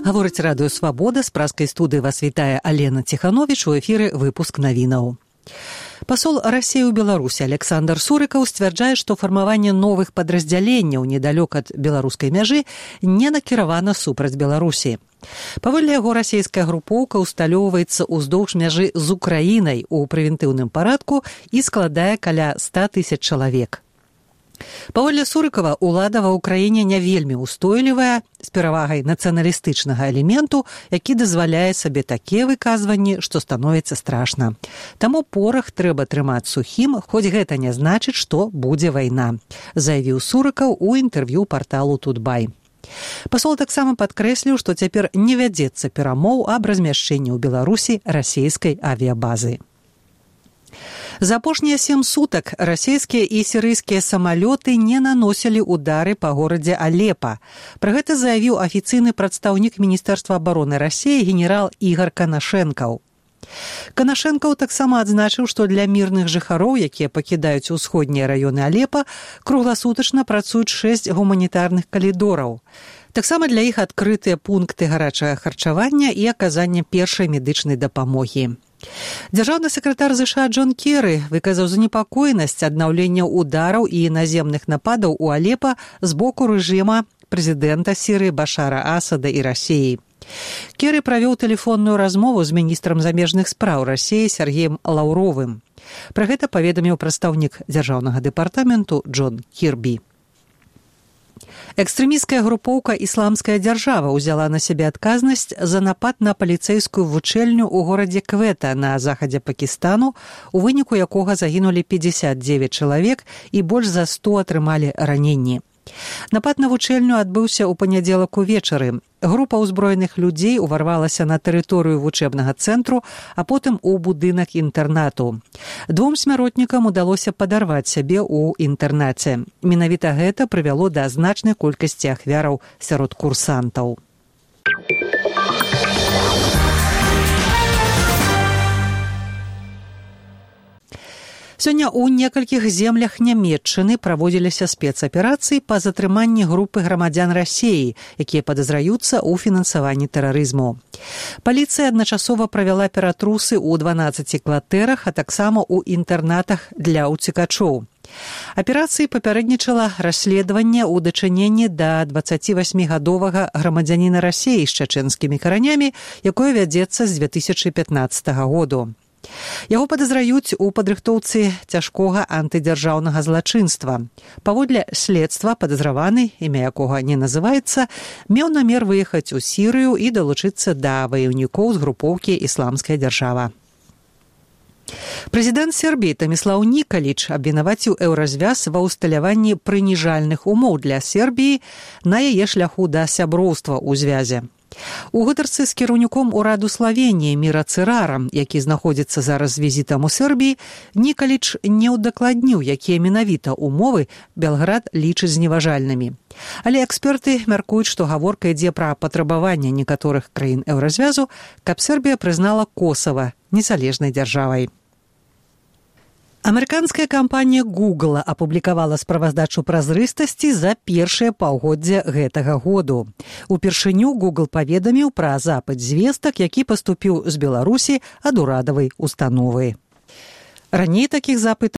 Гаворыць радыё «Свабода», з пражскай студыі вас вітае Алена Ціхановіч, у эфіры выпуск навінаў. Пасол России ў Беларусі Александр Сурыкаў сцвярджае, што фармаванне новых падраздзяленняў недалёк ад беларускай мяжы не накіравана супраць Беларусі. Паводле яго, расійская групоўка усталёўваецца ўздоўж мяжы з Украінай у прэвентыўным парадку і складае каля 100 000 чалавек. Паводле Сурыкава, улада ва ўкраіне не вельмі устойлівая, з перавагай нацыяналістычнага элементу, які дазваляе сабе такія выказванні, што становіцца страшна. Таму порах трэба трымаць сухім, хоць гэта не значыць, што будзе вайна, заявіў Сурыкаў у інтэрв'ю парталу «Тутбай». Пасол таксама падкрэсліў, што цяпер не вядзецца перамоў аб размяшчэнні ў Беларусі расійскай авіябазы. За апошнія 7 сутак расійскія і сірыйскія самалёты не наносілі удары па горадзе Алепа. Пра гэта заявіў афіцыйны прадстаўнік Міністэрства абароны Расіі генерал Ігар Канашэнкаў. Канашэнкаў таксама адзначыў, што для мірных жыхароў, якія пакідаюць усходнія раёны Алепа, кругласутачна працуюць 6 гуманітарных калідораў. Таксама для іх адкрытыя пункты гарачага харчавання і аказання першай медычнай дапамогі. Дзяржаўны сакратар ЗША Джон Керры выказаў занепакоенасць аднаўлення удараў і наземных нападаў у Алепа з боку рэжыма прэзідэнта Сірыі Башара Асада і Расіі. Керры правёў тэлефонную размову з міністрам замежных спраў Расіі Сергеем Лаўровым. Пра гэта паведаміў прадстаўнік дзяржаўнага дэпартаменту Джон Кірбі. Экстрэмісцкая групоўка «Ісламская дзяржава» узяла на сябе адказнасць за напад на паліцэйскую вучэльню ў горадзе Квета на захадзе Пакістану, у выніку якога загінулі 59 чалавек і больш за 100 атрымалі раненні. Напад на вучэльню адбыўся ў панядзелак увечары. Група ўзброеных людзей уварвалася на тэрыторыю вучэбнага цэнтру, а потым у будынак інтэрнату. 2 смяротнікам удалося падарваць сябе ў інтэрнаце. Менавіта гэта прывяло да значнай колькасці ахвяраў сярод курсантаў. Сёння ў некалькіх землях Нямецчыны праводзіліся спецаперацыі па затрыманні групы грамадзян Расіі, якія падазраюцца ў фінансаванні тэрарызму. Паліцыя адначасова правяла ператрусы ў 12 кватэрах, а таксама ў інтэрнатах для ўцекачоў. Аперацыі папярэднічала расследаванне ў дачыненні да 28-гадовага грамадзяніна Расіі з чачэнскімі каранямі, якое вядзецца з 2015 году. Яго падазраюць у падрыхтоўцы цяжкога антыдзяржаўнага злачынства. Паводле следства падазраваны, імя якога не называецца, меў намер выехаць у Сірыю і далучыцца да ваяўнікоў з групоўкі «Ісламская дзяржава». Прэзідэнт Сербіі Томіслаў Нікаліч абвінаваціў Еўразвяз ва ўсталяванні прыніжальных умоў для Сербіі на яе шляху да сяброўства ў звязе. У гутарцы з кіраўніком ураду Славеніі Міра Цырарам, які знаходзіцца зараз з візітам у Сербіі, Нікаліч не ўдакладніў, якія менавіта умовы Белград лічыць зневажальнымі. Але эксперты мяркуюць, што гаворка ідзе пра патрабаванне некаторых краін Еўразвязу, каб Сербія прызнала Косава незалежнай дзяржавай. Амерыканская кампанія Google апублікавала справаздачу празрыстасці за першае паўгоддзе гэтага году. Упершыню Google паведаміў пра запыт звестак, які паступіў з Беларусі ад урадавай установы. Раней такіх запытаў